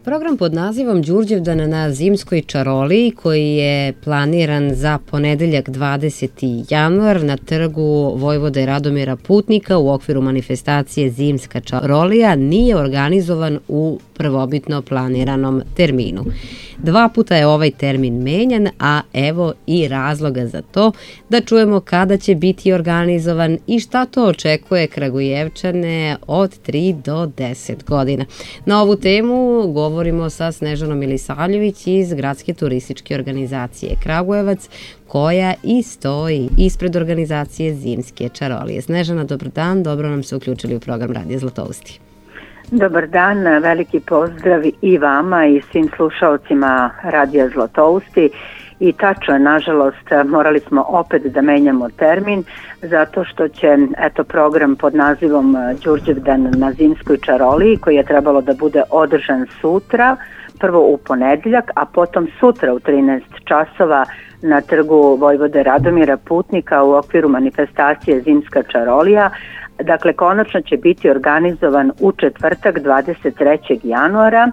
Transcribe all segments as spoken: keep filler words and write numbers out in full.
Program pod nazivom Đurđevdan na Zimskoj čaroliji, koji je planiran za ponedeljak dvadeseti januar na trgu Vojvode Radomira Putnika u okviru manifestacije Zimska čarolija, nije organizovan u prvobitno planiranom terminu. Dva puta je ovaj termin menjan, a evo i razloga za to, da čujemo kada će biti organizovan i šta to očekuje Kragujevčane od tri do deset godina. Na ovu temu govorimo sa Snežanom Milisavljević iz Gradske turističke organizacije Kragujevac, koja i stoji ispred organizacije Zimske čarolije. Snežana, dobar dan, dobro nam se uključili u program Radija Zlatousti. Dobar dan, veliki pozdrav i vama i svim slušalcima Radija Zlatousti. I tačno, nažalost, morali smo opet da menjamo termin zato što će eto program pod nazivom Đurđevdan na Zimskoj čaroliji, koji je trebalo da bude održan sutra, prvo u ponedeljak, a potom sutra u trinaest časova na trgu Vojvode Radomira Putnika u okviru manifestacije Zimska čarolija. Dakle, konačno će biti organizovan u četvrtak dvadeset trećeg januara,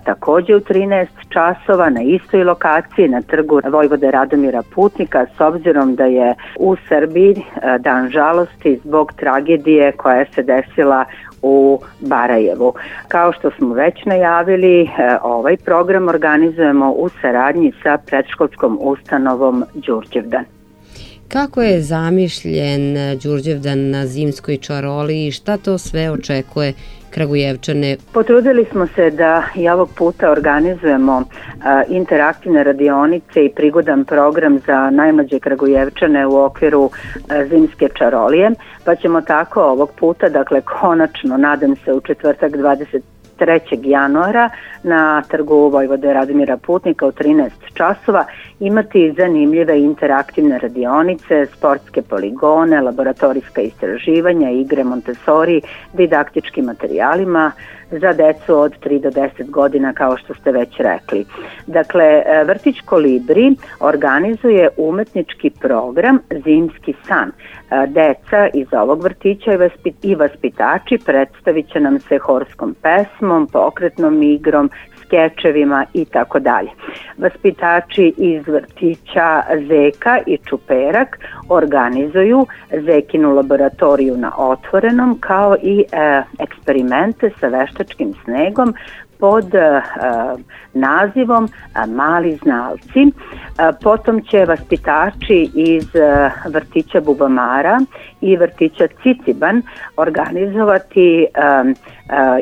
takođe u trinaest časova na istoj lokaciji na trgu Vojvode Radomira Putnika, s obzirom da je u Srbiji dan žalosti zbog tragedije koja se desila u Barajevu. Kao što smo već najavili, ovaj program organizujemo u saradnji sa predškolskom ustanovom Đurđevdan. Kako je zamišljen Đurđevdan na Zimskoj čaroliji i šta to sve očekuje Kragujevčane? Potrudili smo se da i ovog puta organizujemo a, interaktivne radionice i prigodan program za najmlađe Kragujevčane u okviru a, Zimske čarolije, pa ćemo tako ovog puta, dakle konačno, nadam se u četvrtak dvadeset trećeg januara na trgu Vojvode Radomira Putnika u trinaest časova imati zanimljive interaktivne radionice, sportske poligone, laboratorijska istraživanja, igre Montessori, didaktičkim materijalima za decu od tri do deset godina, kao što ste već rekli. Dakle, vrtić Kolibri organizuje umetnički program Zimski san. Deca iz ovog vrtića i vaspitači predstavit će nam se horskom pesmom, pokretnom igrom, skečevima i tako dalje. Vaspitači iz vrtića Zeka i Čuperak organizuju Zekinu laboratoriju na otvorenom, kao i e, eksperimente sa veštačkim snegom pod e, nazivom e, Mali znalci. E, potom će vaspitači iz e, vrtića Bubamara i vrtića Ciciban organizovati e, e,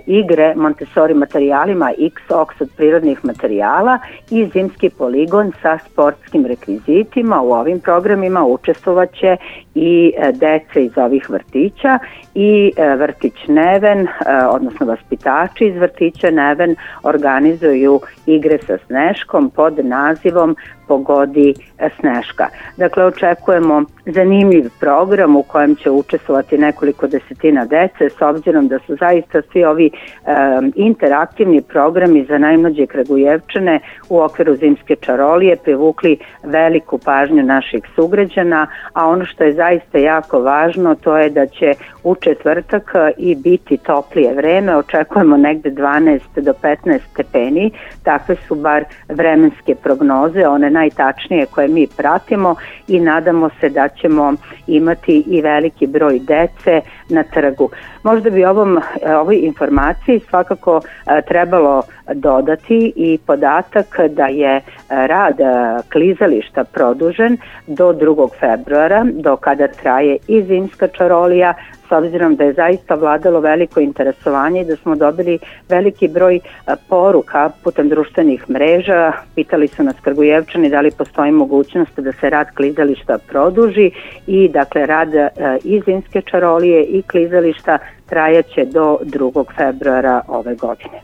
igre Montessori materijalima X-Ox od prirodnih materijala i zimski poligon sa sportskim rekvizitima. U ovim programima učestvovaće i e, deca iz ovih vrtića i e, vrtić Neven, e, odnosno vaspitači iz vrtića Neven organizuju igre sa Sneškom pod nazivom Pogodi Sneška. Dakle, očekujemo zanimljiv program u kojem će učestvovati nekoliko desetina dece, s obzirom da su zaista svi ovi um, interaktivni programi za najmlađe Kragujevčane u okviru Zimske čarolije privukli veliku pažnju naših sugrađana, a ono što je zaista jako važno, to je da će u četvrtak i biti toplije vreme, očekujemo negde dvanaest do petnaest stepeni, takve su bar vremenske prognoze, one najtačnije koje mi pratimo, i nadamo se da ćemo imati i veliki broj dece na trgu. Možda bi ovom, ovoj informaciji svakako trebalo dodati i podatak da je rad klizališta produžen do drugog februara, do kada traje i Zimska čarolija, s obzirom da je zaista vladalo veliko interesovanje i da smo dobili veliki broj poruka putem društvenih mreža. Pitali su nas Kragujevčani da li postoji mogućnost da se rad klizališta produži i dakle rad i Zimske čarolije i klizališta trajaće do drugog februara ove godine.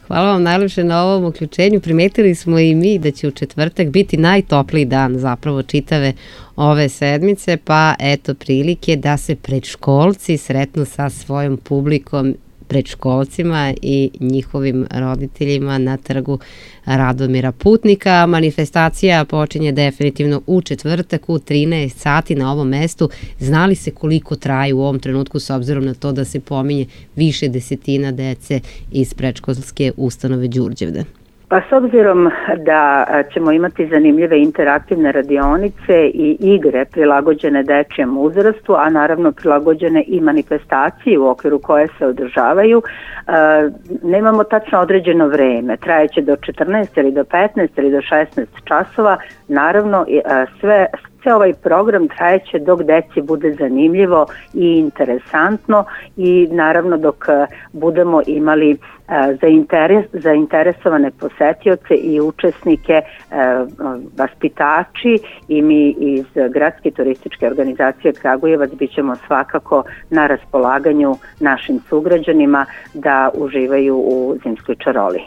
Hvala vam najlepše na ovom uključenju. Primetili smo i mi da će u četvrtak biti najtopliji dan zapravo čitave ove sedmice, pa eto prilike da se predškolci sretnu sa svojom publikom predškolcima i njihovim roditeljima na trgu Radomira Putnika. Manifestacija počinje definitivno u četvrtak u trinaest sati na ovom mestu. Znali se koliko traje u ovom trenutku s obzirom na to da se pominje više desetina dece iz predškolske ustanove Đurđevdan? Pa s obzirom da ćemo imati zanimljive interaktivne radionice i igre prilagođene dečijem uzrastu, a naravno prilagođene i manifestaciji u okviru koje se održavaju, nemamo tačno određeno vreme. Trajeće do četrnaest ili do petnaest ili do šesnaest časova. Naravno, sve Sve ovaj program trajeće dok deci bude zanimljivo i interesantno i naravno dok budemo imali zainteres, zainteresovane posetioce i učesnike, vaspitači i mi iz Gradske turističke organizacije Kragujevac bit ćemo svakako na raspolaganju našim sugrađanima da uživaju u zimskoj čaroliji.